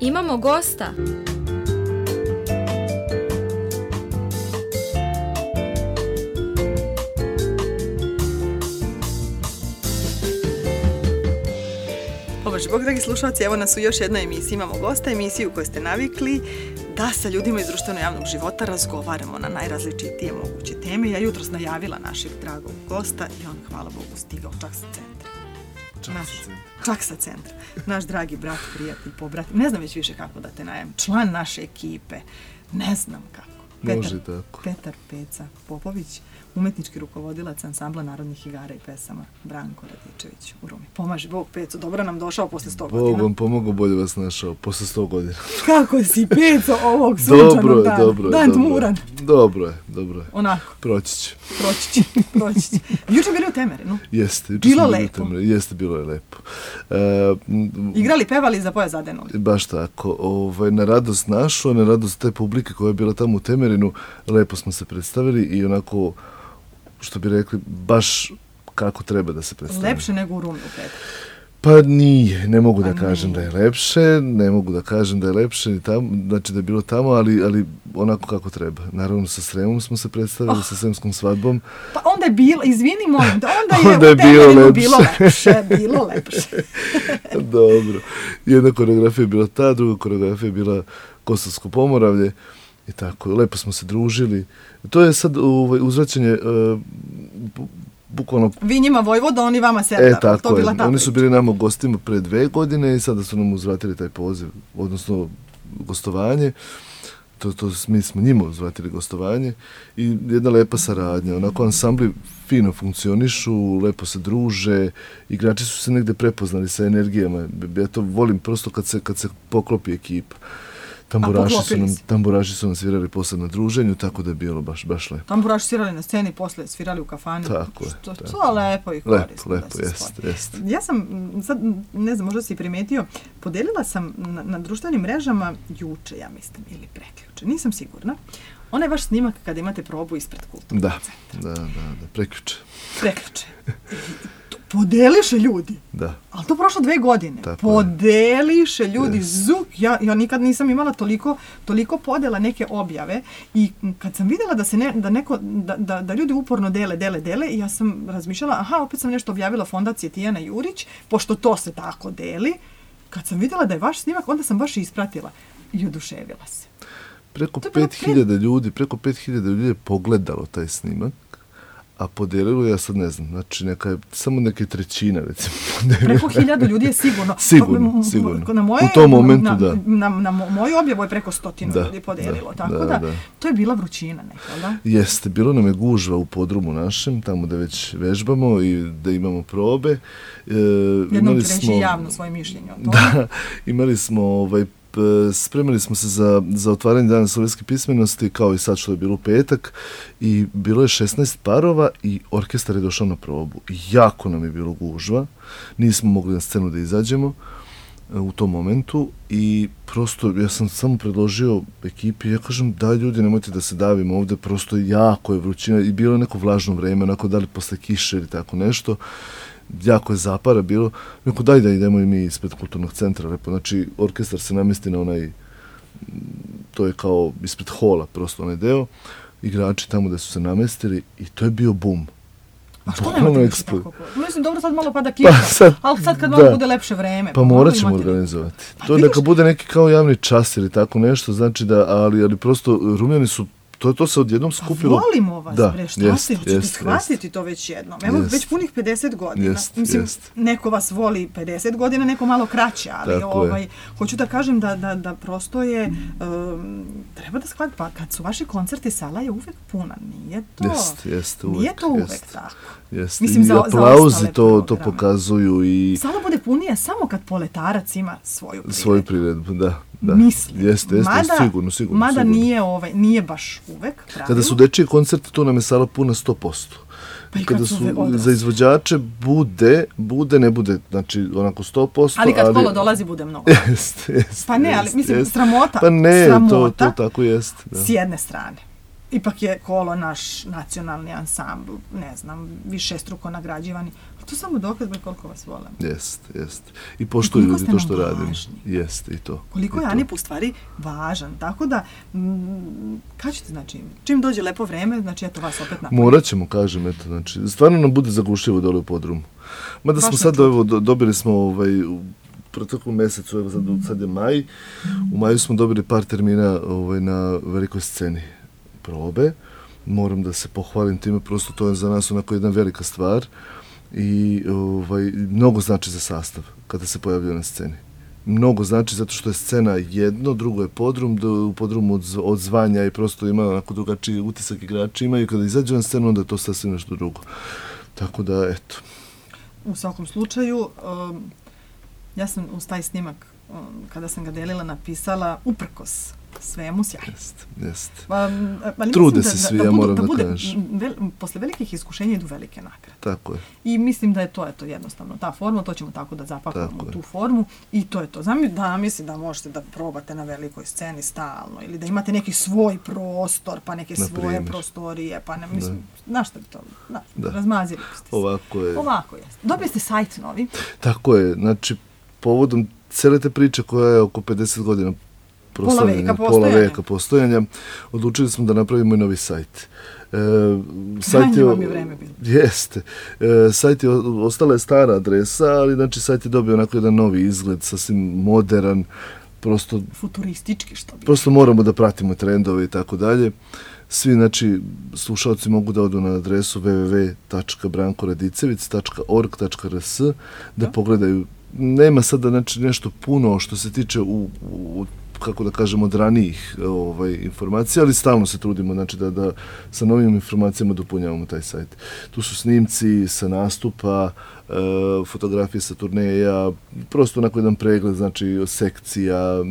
Imamo gosta. Bog, dragi slušalci, evo nas u još jednoj emisiji. Imamo gosta, emisiju u kojoj ste navikli da sa ljudima iz društveno-javnog života razgovaramo na najrazličitije moguće teme. Ja jutros najavila našeg dragog gosta i on, hvala Bogu, stigao čak sa centra. Čak sa centra. Naš dragi brat, prijatelj, pobrat. Ne znam već više kako da te najavim. Član naše ekipe. Ne znam kako. Petar Peca Popović, umetnički rukovodilac ansambla narodnih igara i pesama, Branko Radičević u Rumi. Pomaži Bog, Peco, dobro nam došao posle 100 godina. Bog vam pomogao, bolje vas našao posle 100 godina. Kako si, Peco, ovog sunčanog dana? Dan tmuran. Dobro je. Onako. Proći će. Juče bili u Temerinu? Jeste. Bilo lepo. Jeste, bilo je lepo. Igrali, pevali, za poja zadenuli. Baš tako. Na radost našu, na radost te publike koja je bila tamo u Temerinu, lepo smo se predstavili i onako, što bi rekli, baš kako treba da se predstavili. Lepše nego u Rumi u petak? Pa nije, ne mogu da kažem da je lepše, znači da je bilo tamo, ali onako kako treba. Naravno, sa Sremom smo se predstavili, sa Sremskom svadbom. Pa onda je bilo, izvini molim, onda je u Temerinu bilo lepše. Dobro. Jedna koreografija je bila ta, druga koreografija je bila Kosovsko Pomoravlje i tako, lepo smo se družili. To je sad uzvraćanje bukvalno... Vi njima Vojvoda, oni vama Serdar. Tako je. Oni su bili nama gostima pre 2 godine i sada su nam uzvratili taj poziv, odnosno gostovanje. Mi smo njima uzvratili gostovanje i jedna lepa saradnja. Onako ansambli fino funkcionišu, lepo se druže, igrači su se negde prepoznali sa energijama. Ja to volim prosto kad se poklopi ekipa. Tamburaši su nam svirali posle na druženju, tako da je bilo baš lepo. Tamburaši svirali na sceni, posle svirali u kafani. Tako je. To je lepo i korisno. Lepo, jeste. Ja sam, sad, ne znam, možda si primetio, podelila sam na društvenim mrežama juče, ja mislim, ili prekjuče, nisam sigurna. Onaj vaš snimak kada imate probu ispred kulturnog centra. Da, prekjuče. Podeliše ljudi. Da. Ali to prošlo 2 godine. Podeliše ljudi. Zuk. Ja nikad nisam imala toliko podela neke objave i kad sam vidjela da ljudi uporno dele i ja sam razmišljala, opet sam nešto objavila Fondacije Tijana Jurić, pošto to se tako deli. Kad sam vidjela da je vaš snimak, onda sam baš ispratila i oduševila se. Preko 5000 ljudi je pogledalo taj snimak. A podelilo, ja sad ne znam, znači samo neke trećina, recimo. Preko 1000 ljudi je sigurno. Sigurno. U tom momentu, da. Na moju objavu je preko 100 ljudi podelilo, tako da to je bila vrućina neka, da? Jeste, bilo nam je gužva u podrumu našem, tamo da već vežbamo i da imamo probe. Jednom ću reći javno svoje mišljenje o tome. Da, imali smo spremili smo se za otvaranje Dana slovenske pismenosti, kao i sad što je bilo u petak, i bilo je 16 parova i orkestar je došao na probu. Jako nam je bilo gužva, nismo mogli na scenu da izađemo u tom momentu i prosto ja sam samo predložio ekipi, ja kažem, daj ljudi, nemojte da se davimo ovde, prosto jako je vrućina i bilo je neko vlažno vreme, onako da li posle kiše ili tako nešto. Jako je zapara bilo, neko daj da idemo i mi ispred kulturnog centra, lepo, znači orkestar se namesti na onaj, to je kao ispred hola, prosto onaj deo, igrači tamo da su se namestili i to je bio bum. A što nemate više tako? Mislim, dobro, sad malo pada kiša, ali sad kad malo bude lepše vreme. Pa morat ćemo organizovati. To neka bude neki kao javni čas ili tako nešto, znači da, ali prosto Rumljani su, to se odjednom skupilo. Pa volimo vas, bre, šta ste, hoćete shvatiti to već jednom. Evo, već punih 50 godina. Mislim, neko vas voli 50 godina, neko malo kraće, ali hoću da kažem da prosto je, treba da shvatiti, pa kad su vaši koncerti, sala je uvek puna, nije to uvek tako. Mislim, i aplauzi to pokazuju i... Sala bude punija samo kad poletarac ima svoju priredbu, da. Mislim. Jeste, sigurno. Mada nije baš uvek pravilno. Kada su dečiji koncerti, tu nam je sala puna 100%. Pa i kada su za izvođače bude, ne bude, znači onako 100%. Ali kad kolo dolazi, bude mnogo. Jeste. Pa ne, ali mislim, sramota. Pa ne, to tako jeste. S jedne strane. ipak je Kolo naš nacionalni ansambl, ne znam, višestruko nagrađivani. Ali to samo dokaz koliko vas volim. Jest. I poštuju ljudi to što radim. Jest, i to. Koliko je Anip u stvari važan. Tako da, kažete, znači, čim dođe lepo vreme, znači, eto vas opet napravim. Morat ćemo, kažem, eto, znači, stvarno nam bude zagušljivo dole u podrumu. Mada smo sad, evo, dobili smo u proteklom mjesecu, evo sad je maj, u maju smo dobili par termina na velikoj sceni probe. Moram da se pohvalim time, prosto to je za nas onako jedna velika stvar i mnogo znači za sastav kada se pojavljaju na sceni. Mnogo znači zato što je scena jedno, drugo je podrum, u podrumu odzvanja i prosto ima onako drugačiji utisak igrači imaju. Kada izađe na scenu, onda je to sasvim nešto drugo. Tako da, eto. U svakom slučaju, ja sam uz taj snimak, kada sam ga delila, napisala uprkos svemu sjajno. Jest. Trude se svi, ja moram da kažem. Posle velikih iskušenja idu velike nagrade. Tako je. I mislim da je to jednostavno ta forma, to ćemo tako da zapakujemo tu formu i to je to. Mislim da možete da probate na velikoj sceni stalno ili da imate neki svoj prostor, pa neke svoje prostorije, pa ne, mislim, znaš šta bi to, razmazili ste se. Ovako je. Dobili ste sajt novi. Tako je, znači, povodom cele te priče koja je oko 50 godina pola veka postojanja, odlučili smo da napravimo i novi sajt. Krajnje vam je vreme bilo. Jeste. Sajt je, ostala je stara adresa, ali znači sajt je dobio onako jedan novi izgled, sasvim modern, prosto futuristički, što bi. Prosto moramo da pratimo trendove i tako dalje. Svi, znači, slušalci mogu da odu na adresu www.brankoradicevic.org.rs da pogledaju. Nema sada, znači, nešto puno što se tiče kako da kažem, od ranijih informacija, ali stalno se trudimo, znači, da sa novim informacijama dopunjavamo taj sajt. Tu su snimci sa nastupa, fotografije sa turneja, prosto onako jedan pregled, znači, sekcija,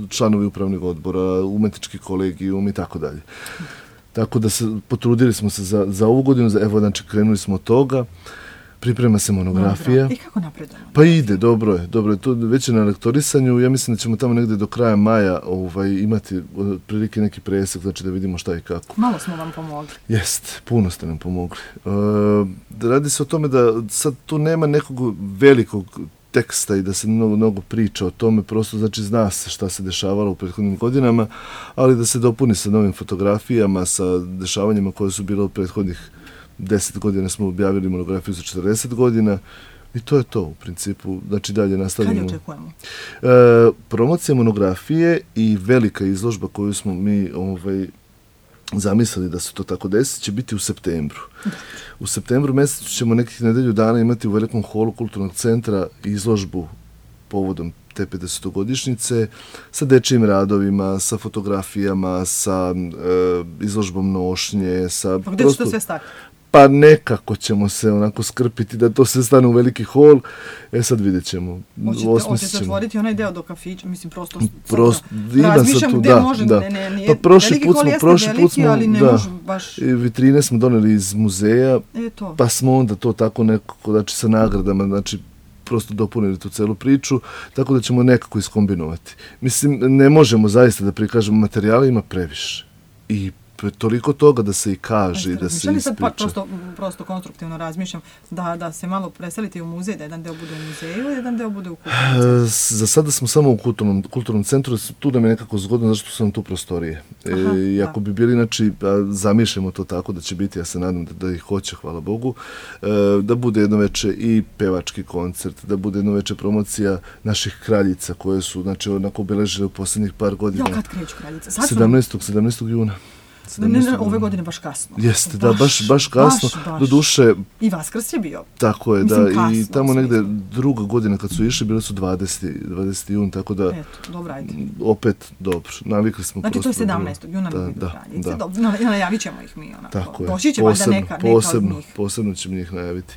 članovi upravnih odbora, umetnički kolegijum i tako dalje. Tako da potrudili smo se za ovu godinu, evo, znači, krenuli smo od toga. Priprema se monografija. I kako napredujemo? Pa ide, dobro je. To već je na lektorisanju. Ja mislim da ćemo tamo negdje do kraja maja imati prilike neki presek, znači da vidimo šta i kako. Malo smo vam pomogli. Jest, puno ste nam pomogli. Radi se o tome da sad tu nema nekog velikog teksta i da se mnogo priča o tome, prosto znači zna se šta se dešavalo u prethodnim godinama, ali da se dopuni sa novim fotografijama, sa dešavanjima koje su bile u prethodnih 10 godina smo objavili monografiju za 40 godina i to je to u principu. Znači dalje nastavljamo. Kad je očekujemo? Promocija monografije i velika izložba koju smo mi zamislili da se to tako desi će biti u septembru. U septembru mjesecu ćemo nekih nedelju dana imati u velikom holu Kulturnog centra izložbu povodom te 50-godišnjice sa dečijim radovima, sa fotografijama, sa izložbom nošnje. Pa gdje će to sve stati? Pa nekako ćemo se onako skrpiti da to sve stane u veliki hol. Sad vidjet ćemo. Hoćete otvoriti onaj deo do kafića, mislim prostor. Razmišljam gdje može, nije veliki hol jeste veliki, ali ne može baš. Vitrine smo doneli iz muzeja, pa smo onda to tako nekako, znači sa nagradama, znači prosto dopunili tu celu priču, tako da ćemo nekako iskombinovati. Mislim, ne možemo zaista da prikažemo materijale, ima previše. I toliko toga da se i kaže i da se ispriča. Prosto konstruktivno razmišljam da se malo preselite u muzej, da jedan deo bude u muzeju, jedan deo bude u kulturnom centru. Za sada smo samo u kulturnom centru, tu nam je nekako zgodno zašto su nam tu prostorije. I ako bi bili, znači, zamišljamo to tako da će biti, ja se nadam da ih hoće, hvala Bogu, da bude jedno veče i pevački koncert, da bude jedno veče promocija naših kraljica koje su, znači, onako obeležile u posljednjih par godina. Kad kreću kraljice? 17. juna. Ne, ove godine baš kasno. Jeste, da, baš kasno. Do duše... I Vaskrs je bio. Tako je, da. I tamo negde druga godina kad su išli, bile su 20. jun, tako da... Eto, dobro, ajde. Opet, dobro, navikli smo. Znači, to je 17. juna na kraljice. Najavit ćemo ih mi, onako. Tako je. Doći će valjda neka od njih. Posebno ćemo njih najaviti.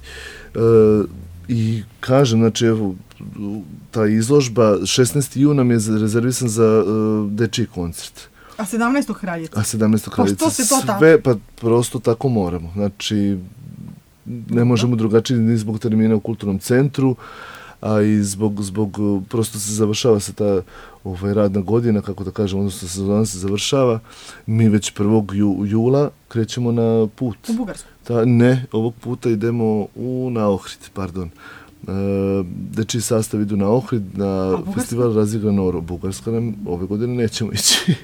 I kažem, znači, evo, ta izložba, 16. juna mi je rezervisan za dečiji koncert. A 17. kraljica? A 17. kraljica. Pa što se to tako? Sve, pa prosto tako moramo. Znači, ne možemo drugačije ni zbog termina u kulturnom centru, a i zbog prosto se završava se ta radna godina, kako da kažem, odnosno sezona se završava. Mi već 1. jula krećemo na put. U Bugarsku? Ne, ovog puta idemo na Ohrid, pardon. Dečiji sastav idu na Ohrid, na festival Razigrano oro. Bugarska nam ove godine nećemo ići.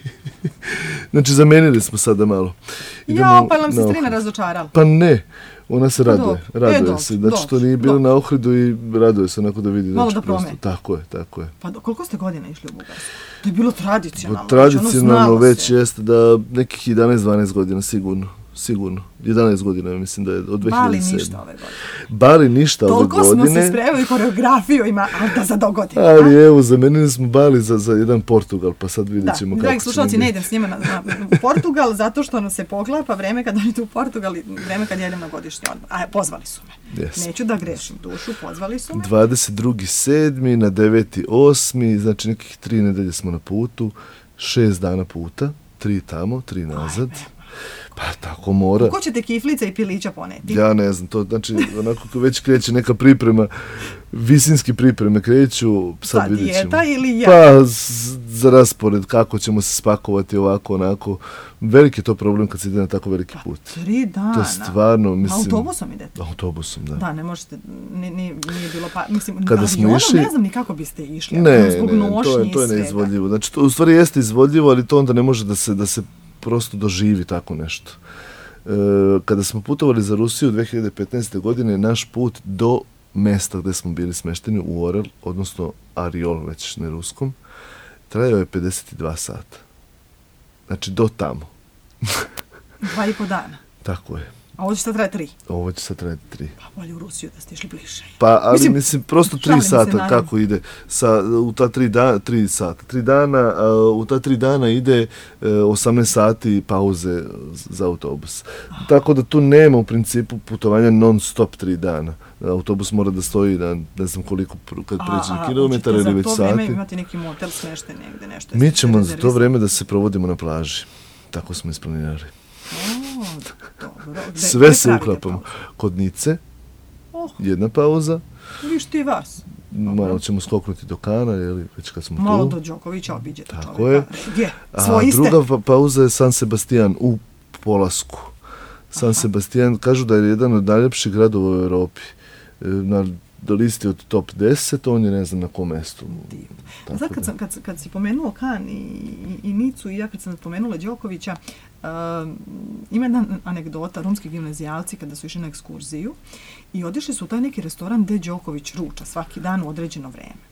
Znači, zamenili smo sada malo. Pa nam se strina razočarala. Pa ne, ona se raduje se. Znači, što nije bilo na Ohridu i raduje se onako da vidi. Malo da promeni. Tako je. Pa koliko ste godina išli u Bugarsku? To je bilo tradicionalno. Tradicionalno već jeste da nekih 11-12 godina sigurno. 11 godina, mislim da je od 2007. Bali ništa ove godine. Bali ništa ove godine. Toliko smo se spremili, koreografiju ima, ali da za dogodine. Ali evo, zamenili smo Bali za jedan Portugal, pa sad vidjet ćemo kako će. Dragi slušalci, ne idem s njima na Portugal, zato što nam se poklapa vreme kad oni idu u Portugal i vreme kad jedem na godišnji odmor. A pozvali su me. Yes. Neću da grešim dušu, pozvali su me. 22.7. na 9.8. Znači nekih 3 nedelje smo na putu, 6 dana puta, 3 tamo, 3 nazad. Pa tako mora. Ko ćete kiflica i pilića poneti? Ja ne znam, to znači onako već kreće neka priprema, visinski pripreme kreću, sad vidjet ćemo. Dijeta ili ja? Pa za raspored, kako ćemo se spakovati ovako, onako. Veliki je to problem kad se ide na tako veliki put. 3 dana. To je stvarno, mislim... Autobusom idete? Autobusom, da. Da, ne možete, nije bilo pa... Mislim, kada smo išli... ne znam ni kako biste išli. Ne, to je neizvodljivo. Znači, to u stvari jeste izvodljivo, ali to onda ne može da se prosto doživi tako nešto. Kada smo putovali za Rusiju 2015. godine, naš put do mesta gde smo bili smešteni u Orel, odnosno Ariol, već na ruskom, trajao je 52 sata. Znači, do tamo. 2,5 dana. Tako je. A ovo će sad trajati 3? Ovo će sad trajati 3. Pa bolje u Rusiju da ste išli bliže. Pa, ali mislim prosto 3 sata kako ide. U ta 3 sata. 3 dana, u ta 3 dana ide 18 sati pauze za autobus. Tako da tu nema u principu putovanja non stop 3 dana. Autobus mora da stoji na ne znam koliko, kad pređe kilometara ili već sati. Za to vreme imate neki motel smešten negde, nešto? Mi ćemo za to vreme da se provodimo na plaži. Tako smo isplanirali. Dobro. Sve se uklapamo. Kod Nice, jedna pauza. Viš ti vas. Malo ćemo skoknuti do Kana, već kad smo tu. Malo do Đokovića obiđete čovjeka. Tako je. Gdje? A druga pauza je San Sebastian u Polasku. San Sebastian, kažu da je jedan od najljepših gradova u Europi. Na listi od top 10, on je ne znam na kom mestu. Sad kad si pomenuo Kan i Nicu i ja kad sam pomenula Đokovića, ima jedna anegdota, romski gimnazijalci kada su išli na ekskurziju i otišli su u taj neki restoran gde Đoković ruča svaki dan u određeno vreme.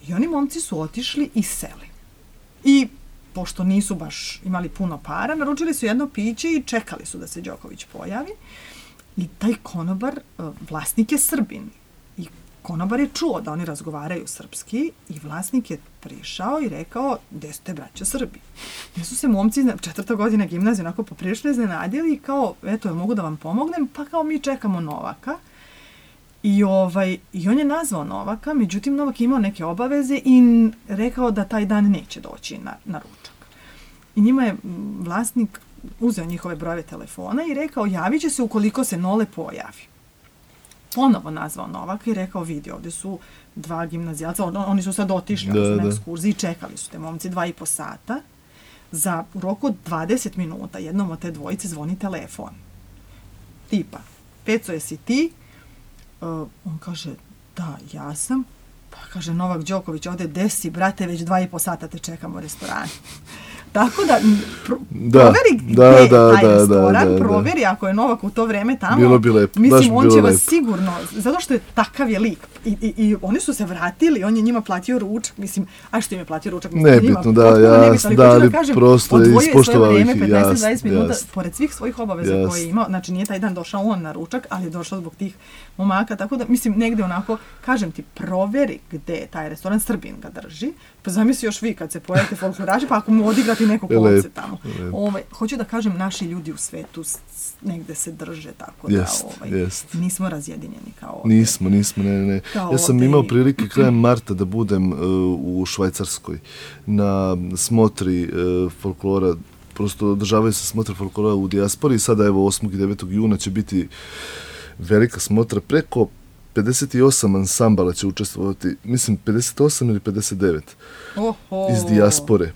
I oni momci su otišli i seli. I pošto nisu baš imali puno para, naručili su jedno piće i čekali su da se Đoković pojavi. I taj konobar, vlasnik je Srbin. I konobar je čuo da oni razgovaraju srpski i vlasnik je prišao i rekao, gde ste braća Srbi? Gde su se momci 4. godina gimnazije onako poprilično iznenadili i kao, eto, ja mogu da vam pomognem, pa kao mi čekamo Novaka. I on je nazvao Novaka, međutim Novak je imao neke obaveze i rekao da taj dan neće doći na ručak. I njima je vlasnik uzeo njihove brojeve telefona i rekao, javit će se ukoliko se Nole pojavi. Ponovo nazvao Novaka i rekao, vidi, ovdje su 2 gimnazijalca, oni su sad otišli na ekskurziji i čekali su te momci 2,5 sata. U roku od 20 minuta jednom od te dvojice zvoni telefon. Tipa, Peco, jesi ti? On kaže, da, ja sam. Pa kaže, Novak Đoković, ovdje desi, brate, već 2,5 sata te čekamo u restoranu. Tako da, proveri gdje je taj restoran, proveri ako je Novak u to vreme tamo. Bilo bi lepo, mislim, on će vas sigurno, zato što je takav je lik. I oni su se vratili, on je njima platio ručak, mislim, a što im je platio ručak? Nebitno, da, jasno, ali prosto je ispoštovao ih, 15-20 minuta, pored svih svojih obaveza koje je imao, znači nije taj dan došao on na ručak, ali je došao zbog tih momaka, tako da, mislim, negde onako, kažem ti, proveri gde je taj restoran, Srbin ga drži, pa zamisli još vi kad se pojavite folkloraži, pa ako mu odigrati neko konce tamo. Hoću da kažem, naši ljudi u svetu negde se drže, tako da nismo razjedinjeni kao ovdje. Nismo, ne. Ja sam imao prilike krajem marta da budem u Švajcarskoj na smotri folklora, prosto održavaju se smotre folklora u dijaspori i sada evo 8. i 9. juna će biti velika smotra preko 58 ansambala će učestvovati, mislim 58 ili 59 iz dijaspore.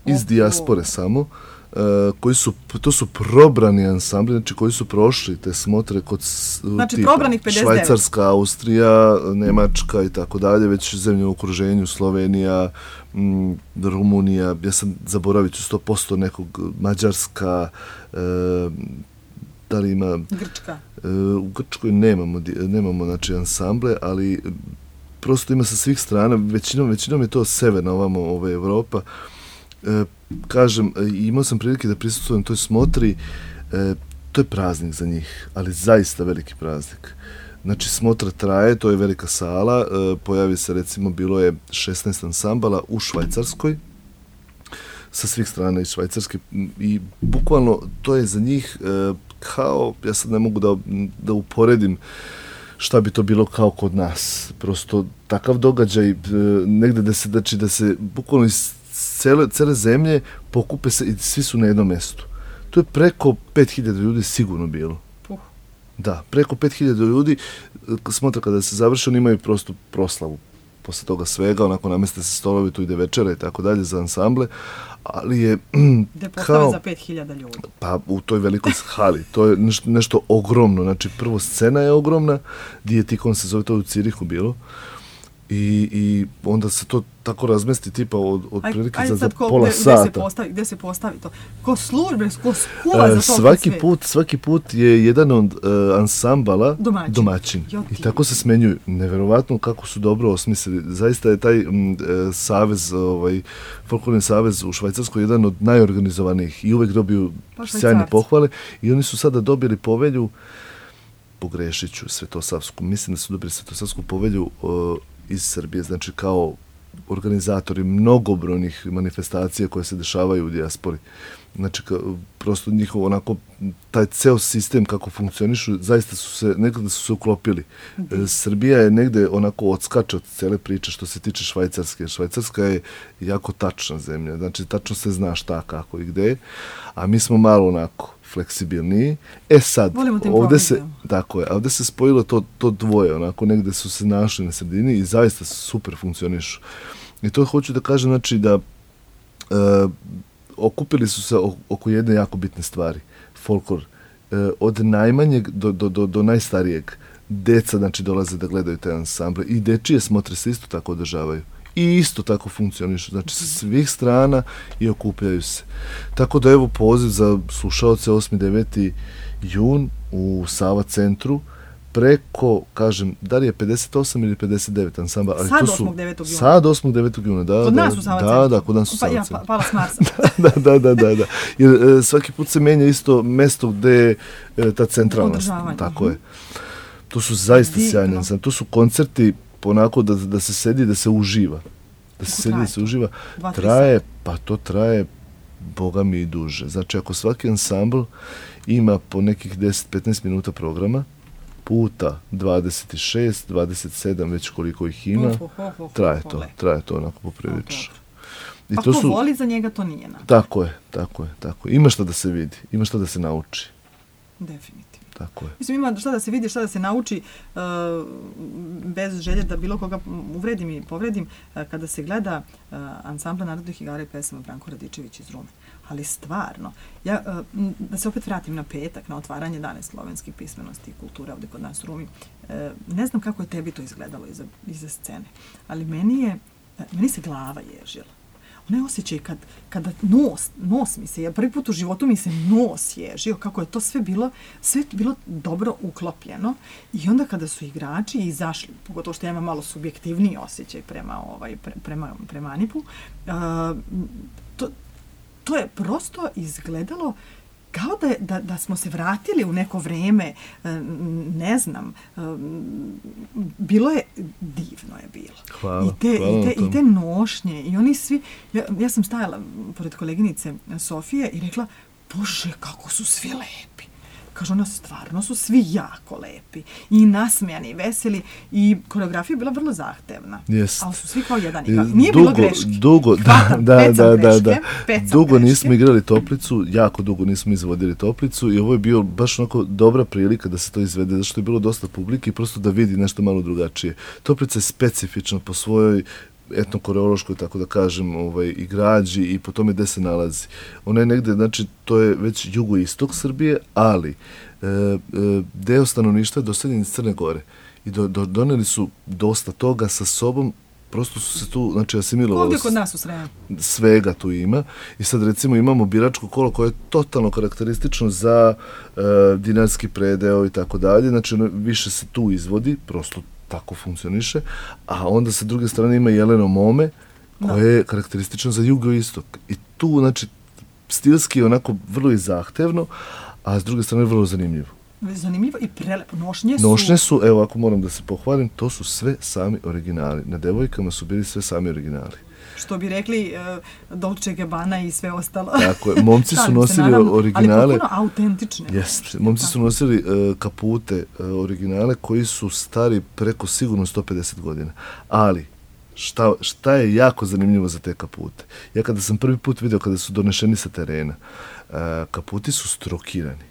Iz dijaspore samo. To su probrani ansambli, znači koji su prošli te smotre kod znači, probranih 59. Švajcarska, Austrija, Njemačka i tako dalje, već zemlje u okruženju, Slovenija, Rumunija, ja sam zaboravit ću 100% nekog, Mađarska, da li ima... Grčka. U Grčkoj nemamo znači, ansamble, ali prosto ima sa svih strana, većinom je to severna ovamo Evropa. Kažem, imao sam prilike da prisustvujem toj smotri, to je praznik za njih, ali zaista veliki praznik. Znači, smotra traje, to je velika sala, pojavi se, recimo, bilo je 16 ansambala u Švajcarskoj, sa svih strana iz Švajcarske i bukvalno to je za njih kao, ja sad ne mogu da uporedim šta bi to bilo kao kod nas. Prosto takav događaj negde da se bukvalno iz cele zemlje pokupe se i svi su na jednom mestu. To je preko 5000 ljudi sigurno bilo. Da, preko 5000 ljudi, smotra kada se završi, oni imaju prosto proslavu. Posle toga svega, onako nameste se stolovi, tu ide večera i tako dalje za ansamble, ali je gde postave za 5000 ljudi. Pa u toj velikoj hali, to je nešto ogromno, znači prvo scena je ogromna, Dietikon se zove, to u Cirihu bilo, i onda se to tako razmesti tipa od prilike za pola sata. Gde se postavi to? Ko službe, ko skula za to svaki put je jedan od ansambala domaćin. I tako se smenjuju. Neverovatno kako su dobro osmislili. Zaista je taj savez, folklorni savez u Švajcarskoj jedan od najorganizovanijih i uvek dobiju sjajne pohvale. I oni su sada dobili povelju, pogrešit ću, Svetosavsku, mislim da su dobili Svetosavsku povelju iz Srbije, znači kao organizatori mnogobrojnih manifestacija koje se dešavaju u dijaspori. Znači, prosto njihov onako, taj ceo sistem kako funkcionišu, zaista nekada su se uklopili. Srbija je negde onako odskače od cele priče što se tiče Švajcarske. Švajcarska je jako tačna zemlja, znači tačno se zna šta, kako i gde, a mi smo malo onako fleksibilniji. Sad, ovde se spojilo to dvoje, onako negde su se našli na sredini i zaista super funkcionišu. I to hoću da kažem, znači da okupili su se oko jedne jako bitne stvari. Folklor. Od najmanjeg do najstarijeg. Deca, znači, dolaze da gledaju te ansamble i dečije smotre se isto tako održavaju. I isto tako funkcionišu. Znači, sa svih strana i okupljaju se. Tako da, evo, poziv za slušaoce 8. 9. jun u Sava centru, preko, kažem, da li je 58 ili 59 ansambla, ali to su... 8. 9. juna. Sad 8. 9. juna, da. Kod nas u Sava centru. Da, kod nas u Sava centru. Pala s Marsa. Da. Jer svaki put se menja isto mesto gde je ta centralna. Tako je. To su zaista sjajne ansambli. To su koncerti onako da se sedi, da se uživa. Da se sedi, da se uživa. To traje, boga mi i duže. Znači, ako svaki ansambl ima po nekih 10-15 minuta programa, puta 26, 27, već koliko ih ima, traje to onako poprilično. Pa ko voli, za njega to nije napravljeno. Tako je. Ima šta da se vidi, ima šta da se nauči. Definitivno. Tako je. Mislim, ima šta da se vidi, šta da se nauči, bez želje da bilo koga uvredim i povredim, kada se gleda ansambla narodnih igara i pesama Branko Radičević iz Rume. Ali stvarno, da se opet vratim na petak, na otvaranje Dane slovenskih pismenosti i kulture ovde kod nas u Rumi, ne znam kako je tebi to izgledalo iza scene, ali meni se glava ježila. Onaj osjećaj kada nos mi se, prvi put u životu mi se nos ježio, kako je to sve bilo dobro uklopljeno, i onda kada su igrači izašli, pogotovo što ja imam malo subjektivniji osjećaj prema Anipu, to je prosto izgledalo kao da smo se vratili u neko vreme, ne znam, bilo je, divno je bilo. Hvala. I te nošnje, i oni svi, ja sam stajala pored koleginice Sofije i rekla, Bože, kako su svi lepi. Kaže, ona stvarno su svi jako lepi i nasmijani i veseli i koreografija je bila vrlo zahtevna. Jest. Ali su svi kao jedan igrali. Nije bilo greški. Dugo, da. Dugo nismo igrali Toplicu, jako dugo nismo izvodili Toplicu i ovo je bio baš onako dobra prilika da se to izvede, zato što je bilo dosta publike i prosto da vidi nešto malo drugačije. Toplica je specifična po svojoj etnokoreološkoj, tako da kažem, i građi i po tome gde se nalazi. Ona je negde, znači, to je već jugoistok Srbije, ali deo stanovništva je doseljen iz Crne Gore i doneli su dosta toga sa sobom, prosto su se tu, znači, asimilovali. Ovdje kod nas u Sremu. Svega tu ima. I sad, recimo, imamo biračko kolo koje je totalno karakteristično za dinarski predeo i tako dalje. Znači, ono više se tu izvodi, prosto tako funkcioniše, a onda sa druge strane ima Jeleno Mome, koje je karakteristično za jugoistok. I tu, znači, stilski je onako vrlo i zahtevno, a s druge strane vrlo zanimljivo. Zanimljivo i prelepo. Nošnje su, evo, ako moram da se pohvalim, to su sve sami originali. Na devojkama su bili sve sami originali. Što bi rekli Dolce & Gabbana i sve ostalo. Tako je, momci su nosili originale. Ali potpuno autentične. Jeste, momci su nosili kapute originale koji su stari preko sigurno 150 godina. Ali, šta je jako zanimljivo za te kapute? Ja kada sam prvi put vidio, kada su donešeni sa terena, kaputi su strokirani.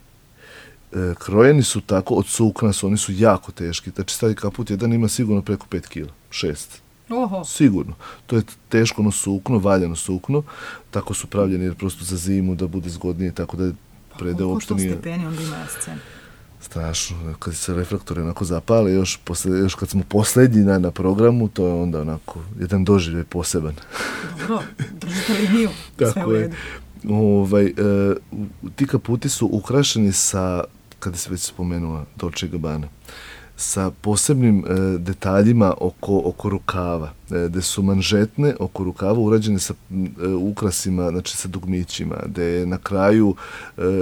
Krojeni su tako, od sukna su, oni su jako teški. Znači, stari kaput jedan ima sigurno preko 5 kila, 6. Oho. Sigurno. To je teško sukno, valjano sukno. Tako su pravljeni jer prosto za zimu da bude zgodnije, tako da predeo uopšte nije... Koliko stepeni onda ima scena? Strašno. Kad se reflektori onako zapale, još kad smo posljednji na programu, to je onda onako jedan doživljaj poseban. Dobro, držite liniju. Sve u redu. Ti kaputi su ukrašeni sa, kada se već spomenula Dolce & Gabbana, sa posebnim detaljima oko rukava, gde su manžetne oko rukava urađene sa ukrasima, znači sa dugmićima, gde je na kraju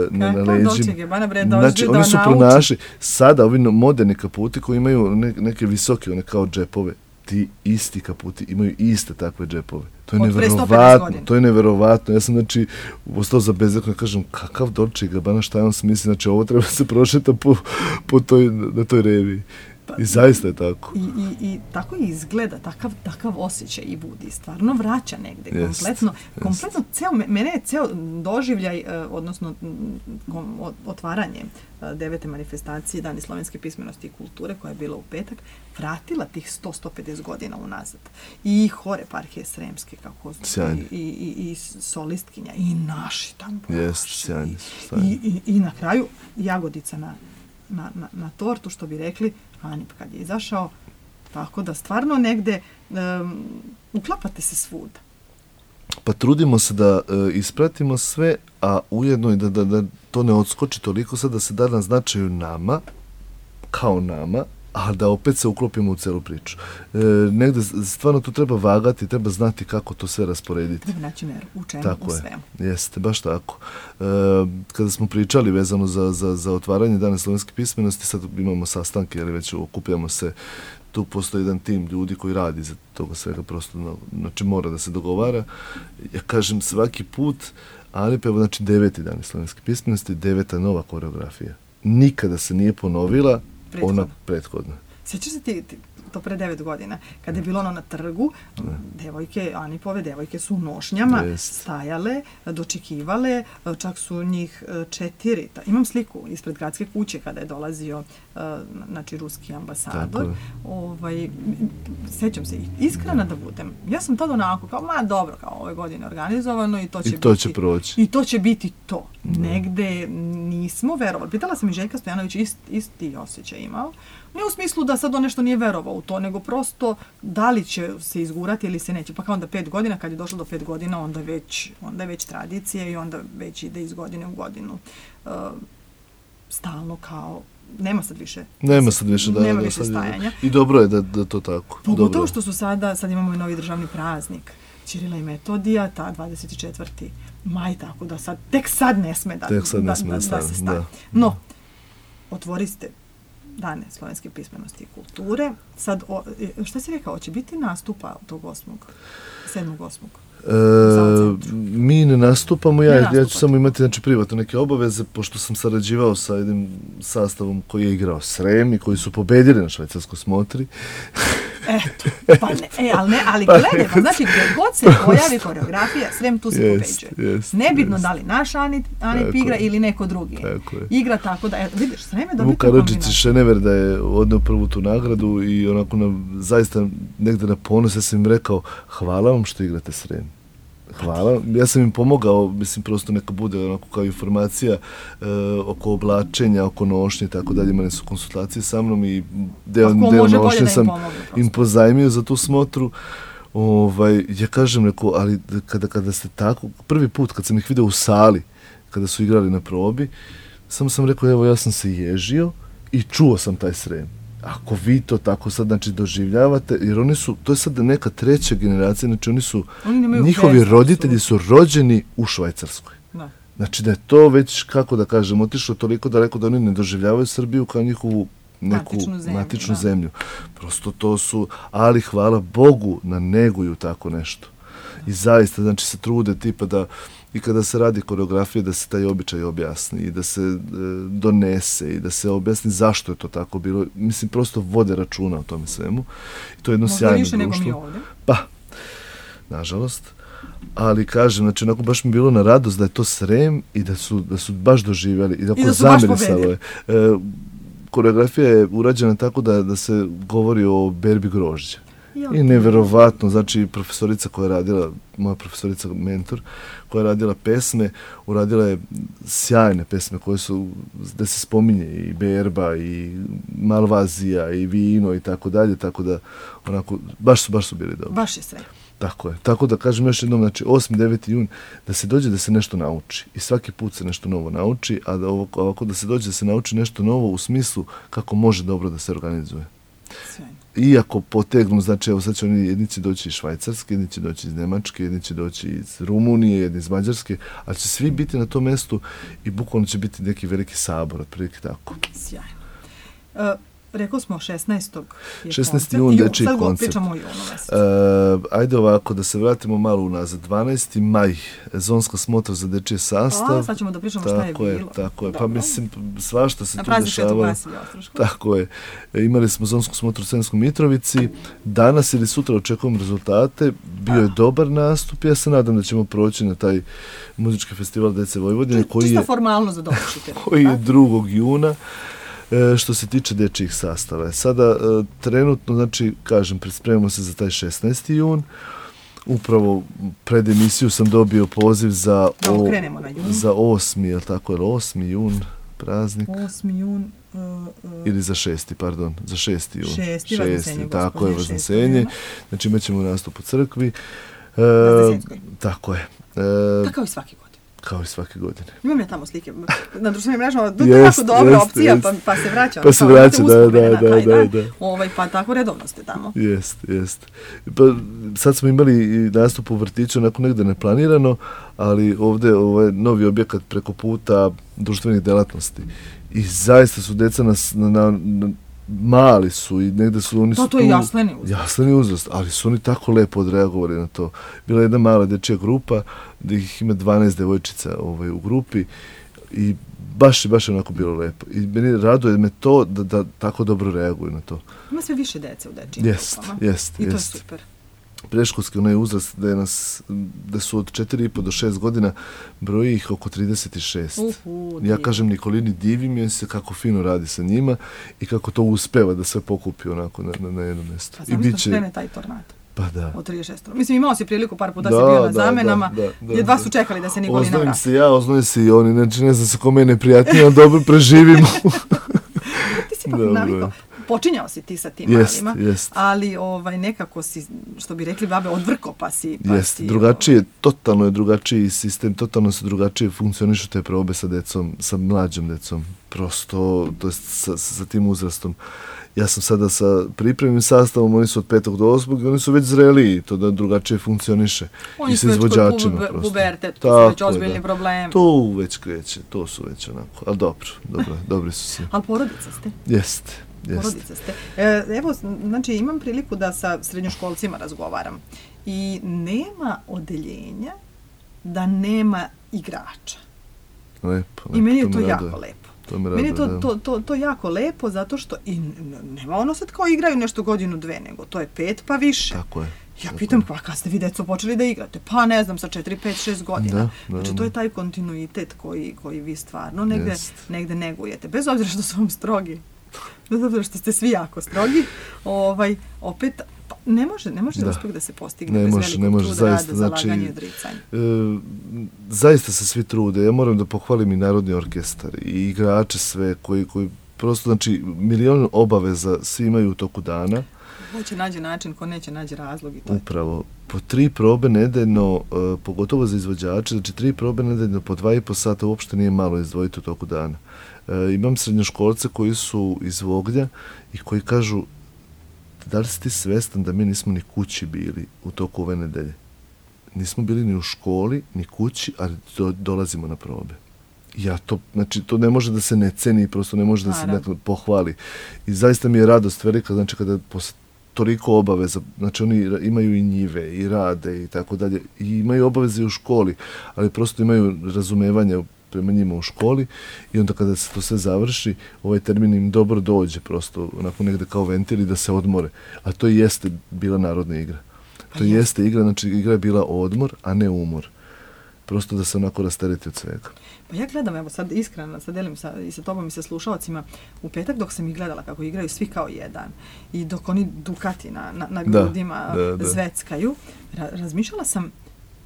na leđima. Znači, oni su pronašli. Sada, ovi moderni kaputi koji imaju neke visoke, one kao džepove, ti isti kaputi imaju iste takve džepove. To je neverovatno. Ja sam, znači, ostao za bezekno, kažem, kakav Dolce & Gabbana, šta je on smisli, znači, ovo treba se prošeta na toj reviji. I zaista je tako. I tako i izgleda, takav osjećaj i budi. Stvarno vraća negde, kompletno mene je ceo doživljaj, odnosno otvaranje 9. manifestacije Dani slovenske pismenosti i kulture, koja je bila u petak, vratila tih 100-150 godina unazad. I hor eparhije Sremske, kako i solistkinja, i naši tamo. I na kraju jagodica na tortu, što bi rekli, Anip kad je izašao, tako da stvarno negde uklapate se svuda. Pa trudimo se da ispratimo sve, a ujedno i da to ne odskoči toliko sad da se da na značaju nama, kao nama, a da opet se uklopimo u celu priču. Negde stvarno tu treba vagati, treba znati kako to sve rasporediti. Treba naći meru, u čemu, tako u svemu. Jeste, baš tako. Kada smo pričali vezano za otvaranje Dana slovenske pismenosti, sad imamo sastanke, jer već okupljamo se, tu postoji jedan tim ljudi koji radi za toga svega, prosto, znači mora da se dogovara. Ja kažem svaki put, ali pa evo, znači 9. Dan slovenske pismenosti, 9. nova koreografija. Nikada se nije ponovila ona prethodna. Sjećaš se ti to pre 9 godina, kada je bilo ono na trgu, devojke, Anipove devojke su u nošnjama stajale, dočekivale, čak su njih 4. Imam sliku ispred gradske kuće kada je dolazio znači ruski ambasador. Sjećam se, iskrena da budem. Ja sam tada onako kao, dobro, kao ove godine organizovano i to će proći. I to će biti to. Negde nismo verovali. Pitala sam i Željka Stojanović, isti osjećaj imao. Ne u smislu da sad on nešto nije verovao u to, nego prosto da li će se izgurati ili se neće. Pa kao onda 5 godina, kad je došlo do 5 godina, onda je već tradicija i onda već ide iz godine u godinu. Stalno kao, nema sad više stajanja. I dobro je da to tako. Pogotovo što su sad imamo i novi državni praznik. Ćirila i Metodija, ta 24. maj, tako da tek sad ne sme da se staje. No, otvoriste Dane slovenske pismenosti i kulture. Sad, šta si rekao, će biti nastupa tog 7.8. Mi ne nastupamo, ja ću samo imati znači, privatno neke obaveze, pošto sam sarađivao sa jednim sastavom koji je igrao Srem i koji su pobedili na švajcarskoj smotri. Eto, pa ne, ali gledaj, pa znači gdje god se pojavi koreografija, Srem tu se pobeđuje. Nebitno da li naš Anip igra ili neko drugi. Igra tako da, vidiš, Srem je dobiti kombinaciju. Vuk Karadžić i Šenever da je odneo prvu tu nagradu i onako zaista negde na ponos, ja sam im rekao, hvala vam što igrate Srem. Hvala. Ja sam im pomogao, mislim, prosto neka bude onako kao informacija oko oblačenja, oko nošnje i tako dalje. Imali su konsultacije sa mnom i deo nošnje sam im pozajmio za tu smotru. Ja kažem, rekao, ali kada ste tako, prvi put kad sam ih vidio u sali, kada su igrali na probi, samo sam rekao, evo, ja sam se ježio i čuo sam taj Srem. Ako vi to tako sad, znači, doživljavate, jer oni su, to je sad neka treća generacija, znači njihovi roditelji su rođeni u Švajcarskoj. Da. Znači da je to već, kako da kažem, otišlo toliko daleko da oni ne doživljavaju Srbiju kao njihovu neku matičnu zemlju. Prosto to su, ali hvala Bogu neguju tako nešto. I zaista, znači, se trude tipa da i kada se radi koreografija da se taj običaj objasni i da se donese i da se objasni zašto je to tako bilo. Mislim, prosto vode računa o tome svemu. I to je jedno sjajno društvo. Možda više nego mi ovdje. Pa, nažalost. Ali kažem, znači, onako baš mi bilo na radost da je to Srem i da su baš doživjeli i da su baš pobedili. Koreografija je urađena tako da se govori o berbi grožđa. I neverovatno, znači profesorica koja je radila, moja profesorica mentor, koja je radila pesme, uradila je sjajne pesme koje su, gde se spominje i berba i malvazija i vino i tako dalje, tako da onako, baš su bili dobri. Baš je sve. Tako je. Tako da kažem još jednom, znači 8. 9. jun, da se dođe da se nešto nauči. I svaki put se nešto novo nauči, a da ovako da se dođe da se nauči nešto novo u smislu kako može dobro da se organizuje. Sve. Iako potegnu, znači evo sad će oni jedni će doći iz Švajcarske, jedni će doći iz Nemačke, jedni će doći iz Rumunije, jedni iz Mađarske, ali će svi biti na tom mestu i bukvalno će biti neki veliki sabor, otprilike tako. Sjajno. Rekao smo 16. 16. jun, dečiji koncert. Sad pričamo o junu mesecu. Ajde ovako, da se vratimo malo unazad. 12. maj, zonska smotra za dečiji sastav. Sad ćemo da pričamo šta je bilo. Tako je. Pa mislim, svašta se tu dešava. Tako je. Imali smo zonsku smotru u Sremskoj Mitrovici. Danas ili sutra očekujemo rezultate. Bio je dobar nastup. Ja se nadam da ćemo proći na taj muzički festival Dece Vojvodine. Čista formalno za dovršitelj. Koji je 2. juna. Što se tiče dečjih sastava. Sada trenutno, znači, kažem, spremamo se za taj 16. jun. Upravo pred emisiju sam dobio poziv za 8. je li tako, je li 8. jun praznik? 8. jun. Ili za 6. pardon, za 6. jun. 6. Vaznesenje, tako je, Vaznesenje. Znači, imat ćemo nastup u crkvi. Tako je. Kao i svaki godin. Kao i svake godine. Imam ja tamo slike na društvenim mrežama, to je jako dobra opcija, pa se vraća. Pa se vraća, da. Pa tako redovno ste tamo. Jest. Pa sad smo imali nastup u vrtiću, onako negde neplanirano, ali ovde ovaj novi objekat preko puta društvenih delatnosti. I zaista su deca mali su i negde su oni su to je jasleni uzrast, ali su oni tako lepo odreagovali na to. Bila je jedna mala dečija grupa, gdje ih ima 12 devojčica u grupi i baš je onako bilo lepo. I meni raduje me to da tako dobro reaguju na to. Ima sve više dece u dečijim grupama. Jest. I to je super. Preškolski onaj uzrast da su od 4,5 do 6 godina, broji ih oko 36. Ja kažem Nikolini, divim je se kako fino radi sa njima i kako to uspeva da sve pokupi onako na jedno mjesto. Pa znam što krene taj tornado. Pa da. Od 36. Mislim, imao si priliku par puta si bio na zamenama, gdje dva su čekali da se Nikolina vrati. Oznojim se i oni, znači ne znam se kome je neprijatnije, ali dobro preživimo. Ti si pa navikao. počinjao si ti sa tim malima, ali nekako si, što bi rekli babe, odvrko pa si... Drugačije, totalno je drugačiji sistem, totalno se drugačije funkcionišu te probe sa decom, sa mlađom decom, prosto, to je sa tim uzrastom. Ja sam sada sa pripremnim sastavom, oni su od 5. do 8. i oni su već zreliji, to da drugačije funkcioniše. Oni su već kod pubertet, to su već ozbiljni problemi. To već kreće, to su već onako, ali dobri su svi. Ali porodica ste? Jeste. Porodica ste. Evo, znači imam priliku da sa srednjoškolcima razgovaram i nema odeljenja da nema igrača. Lepo. I meni je to jako lepo. Meni je to jako lepo zato što i nema ono sad kao igraju nešto godinu, 2, nego to je 5 pa više. Tako je. Ja pitam, pa kad ste vi deco počeli da igrate? Pa ne znam, sa 4, 5, 6 godina. Znači to je taj kontinuitet koji vi stvarno negde negujete. Bez obzira što su vam strogi. Bez obzira što ste svi jako strogi. Opet, ne može uspjeh da se postigne bez velikog truda, rada, zalaganja i odricanja. Zaista se svi trude. Ja moram da pohvalim i Narodni orkestar i igrače sve koji prosto, znači, milion obaveza svi imaju u toku dana. Ko će nađe način, ko neće nađe razlog i to. Upravo. Po 3 probe nedeljno, pogotovo za izvođače, znači 3 probe nedeljno po 2,5 sata uopšte nije malo izdvojiti u toku dana. Imam srednjoškolce koji su iz Voglja i koji kažu, da li si ti svestan da mi nismo ni kući bili u toku ove nedelje? Nismo bili ni u školi, ni kući, ali dolazimo na probe. Znači, to ne može da se ne ceni, prosto ne može da se nekako pohvali. I zaista mi je radost velika, znači, kada posle toliko obaveza, znači, oni imaju i njive, i rade, i tako dalje, i imaju obaveze i u školi, ali prosto imaju razumevanja prema njima u školi i onda kada se to sve završi, ovaj termin im dobro dođe, prosto onako negde kao ventil i da se odmore. A to i jeste bila narodna igra. To jeste igra, znači igra je bila odmor, a ne umor. Prosto da se onako rastereti od svega. Pa ja gledam, evo sad iskreno, sad delim i sa tobom i sa slušalcima, u petak dok sam ih gledala kako igraju svi kao jedan i dok oni dukati na grudima zveckaju, razmišljala sam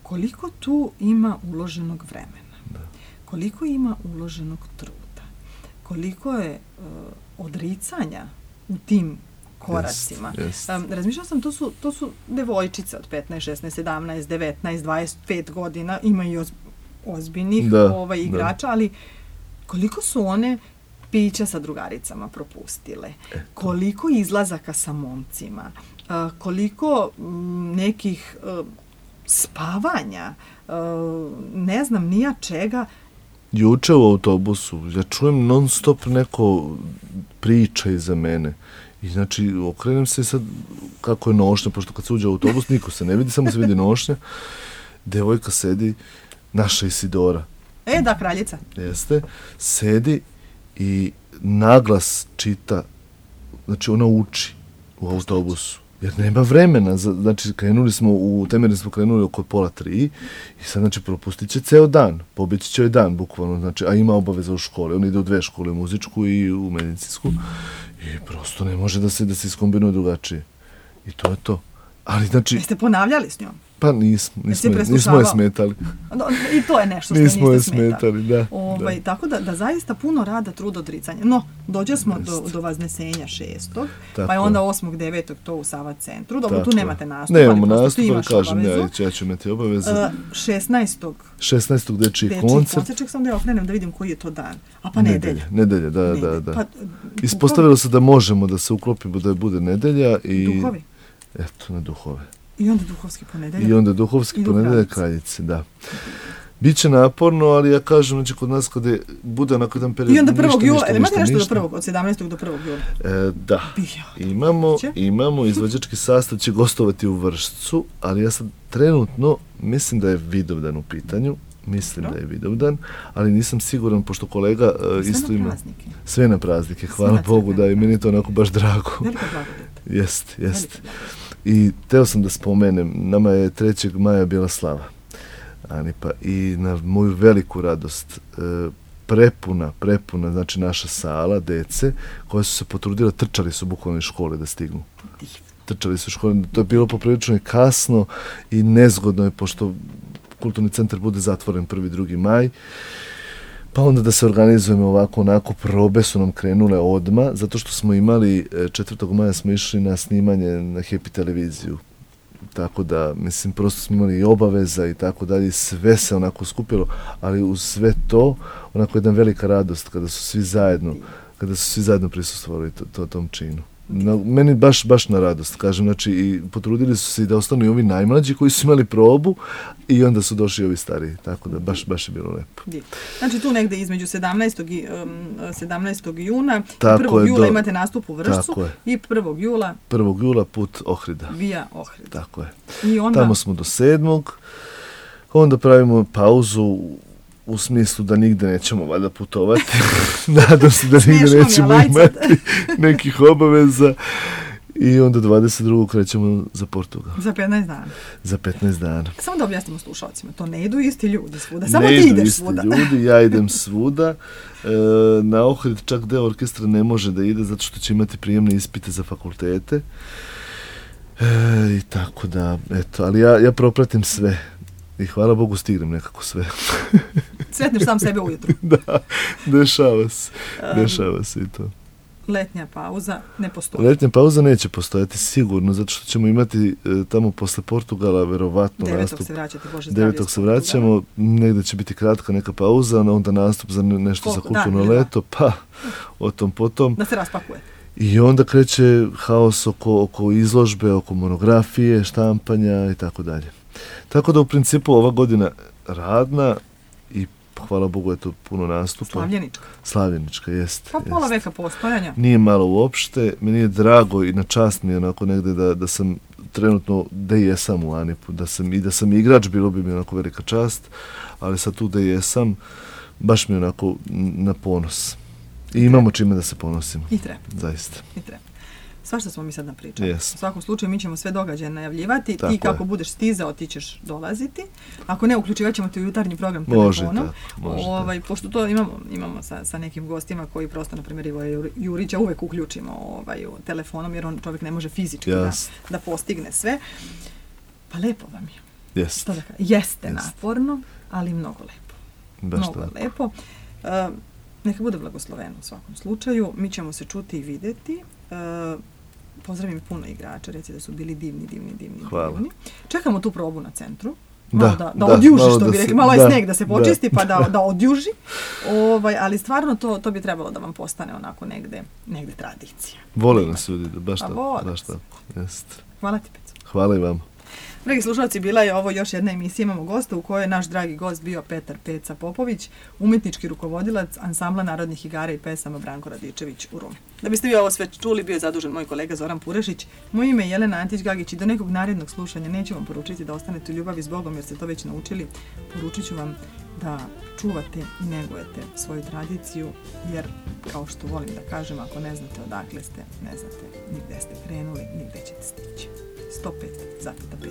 koliko tu ima uloženog vremena. Koliko ima uloženog truda, koliko je odricanja u tim koracima. Razmišljala sam, to su devojčice od 15, 16, 17, 19, 25 godina, imaju ozbiljnih igrača, ali koliko su one pića sa drugaricama propustile, koliko izlazaka sa momcima, koliko nekih spavanja, ne znam nija čega. Juče u autobusu, ja čujem non stop neko priča iza mene. I znači, okrenem se sad kako je nošnja, pošto kad se uđe u autobus, niko se ne vidi, samo se vidi nošnja. Devojka sedi, naša Isidora. Da, kraljica. Jeste, sedi i naglas čita, znači ona uči u autobusu. Jer nema vremena, znači temeljno smo krenuli oko 2:30 i sad znači propustit će ceo dan, pobjeći će joj dan bukvalno, znači, a ima obaveza u školi, on ide u 2 škole, u muzičku i u medicinsku i prosto ne može da se iskombinuje drugačije. I to je to. Ali znači... Jeste ponavljali s njom? Pa nismo je smetali. I to je nešto što nismo je smetali, da. Tako da zaista puno rada, truda, odricanja. No, dođe smo do Vaznesenja 6. Pa je onda 8. 9. to u Sava centru. Dobro, tu nemate nastup, nemamo nastup, ali kažem, ja ću imati obavezu. 16. dečiji koncert. Ček sam da ja okrenem da vidim koji je to dan. A pa nedelja. Nedelja, da. Ispostavilo se da možemo da se uklopimo da bude nedelja i... Duhovi? Eto, na duhove. I onda duhovski ponedeljak. I onda duhovski ponedeljak kraljice, da. Biće naporno, ali ja kažem, znači kod nas kada bude onako jedan period... I onda 1. jula, ili imate nešto od 17. do 1. jula? Da. Imamo, izvođački sastav će gostovati u Vršcu, ali ja sad trenutno mislim da je Vidovdan u pitanju. Mislim da je Vidovdan, ali nisam siguran, pošto kolega isto ima... Sve na praznike, hvala Bogu, da i meni je to onako baš drago. Velika blagodat. Jest. I teo sam da spomenem, nama je 3. maja bila slava, Anipa, i na moju veliku radost prepuna, znači naša sala, dece, koje su se potrudile, trčali su bukvalno iz škole da stignu. Trčali su iz škole, to je bilo poprilično kasno i nezgodno je, pošto kulturni centar bude zatvoren 1. 2. maj. Pa onda da se organizujemo ovako, onako, probe su nam krenule odmah, zato što smo imali, 4. maja smo išli na snimanje na Happy televiziju. Tako da, mislim, prosto smo imali i obaveza i tako dalje, sve se onako skupilo, ali uz sve to, onako jedna velika radost kada su svi zajedno prisustvovali tom činu. Meni baš na radost, kažem, znači i potrudili su se i da ostanu i ovi najmlađi koji su imali probu i onda su došli ovi stariji, tako da baš je bilo lepo. Znači tu negde između 17. juna i 1. jula imate nastup u Vršcu i 1. jula put Ohrida. Via Ohrida. Tako je. I onda... Tamo smo do 7. Onda pravimo pauzu u smislu da nigde nećemo valjda putovati. Nadam se da nigde nećemo imati nekih obaveza. I onda 22. krećemo za Portugal. Za 15 dana. Za 15 dana. Samo da objasnimo slušalcima, to ne idu isti ljudi svuda, samo ti ideš svuda. Ne idu isti ljudi, ja idem svuda. Na Ohrid čak deo orkestra ne može da ide zato što će imati prijemne ispite za fakultete. I tako da, eto, ali ja propratim sve. I hvala Bogu stignem nekako sve. Sretneš sam sebe ujutru. Da, dešava se i to. Letnja pauza ne postoji. Letnja pauza neće postojati sigurno, zato što ćemo imati tamo posle Portugala verovatno nastup. 9. se vraćate, Bože zdravlje. 9. se vraćamo, negde će biti kratka neka pauza, onda nastup za nešto za kulturno leto, pa o tom potom. Da se raspakuje. I onda kreće haos oko izložbe, oko monografije, štampanja i tako dalje. Tako da u principu ova godina radna i hvala Bogu je to puno nastupa. Slavljenička, jeste. Pa pola veka postojanja. Nije malo uopšte, meni je drago i na čast mi je onako negde da sam trenutno da jesam u Anipu, da sam igrač, bilo bi mi onako velika čast, ali sad tu da jesam, baš mi je onako na ponos. I imamo čime da se ponosimo. I treba. Zaista. I treba. Svašta smo mi sad napričali. Yes. U svakom slučaju mi ćemo sve događaje najavljivati. Ti kako budeš stizao, ti ćeš dolaziti. Ako ne, uključivat ćemo ti u jutarnji program telefonom. Može. Pošto to imamo sa nekim gostima koji prosto, na primjer, Ivo Jurića uvek uključimo telefonom, jer on čovjek ne može fizički da postigne sve. Pa lepo vam je. Jeste naporno, ali mnogo lepo. Mnogo lepo. Neka bude blagosloveno u svakom slučaju. Mi ćemo se čuti i videti. Pozdravim puno igrača, reci da su bili divni. Hvala. Čekamo tu probu na centru. Da odjuži, što bi rekli. Malo je sneg da se počisti, pa da odjuži. Ali stvarno to bi trebalo da vam postane onako negde tradicija. Vole nas ljudi, baš tako. Hvala ti, Peco. Hvala i vama. Dragi slušalci, bila je ovo još jedna emisija, imamo gosta u kojoj je naš dragi gost bio Petar Peca Popović, umjetnički rukovodilac ansambla narodnih igara i pesama Branko Radičević u Rumi. Da biste vi ovo sve čuli, bio je zadužen moj kolega Zoran Purešić. Moje ime je Jelena Antić-Gagić i do nekog narednog slušanja neću vam poručiti da ostanete u ljubavi s Bogom jer ste to već naučili. Poručit ću vam da čuvate i negujete svoju tradiciju jer, kao što volim da kažem, ako ne znate odakle ste, ne znate ni gde ste krenuli, ni gde ćete stići. 105 zapeta 5.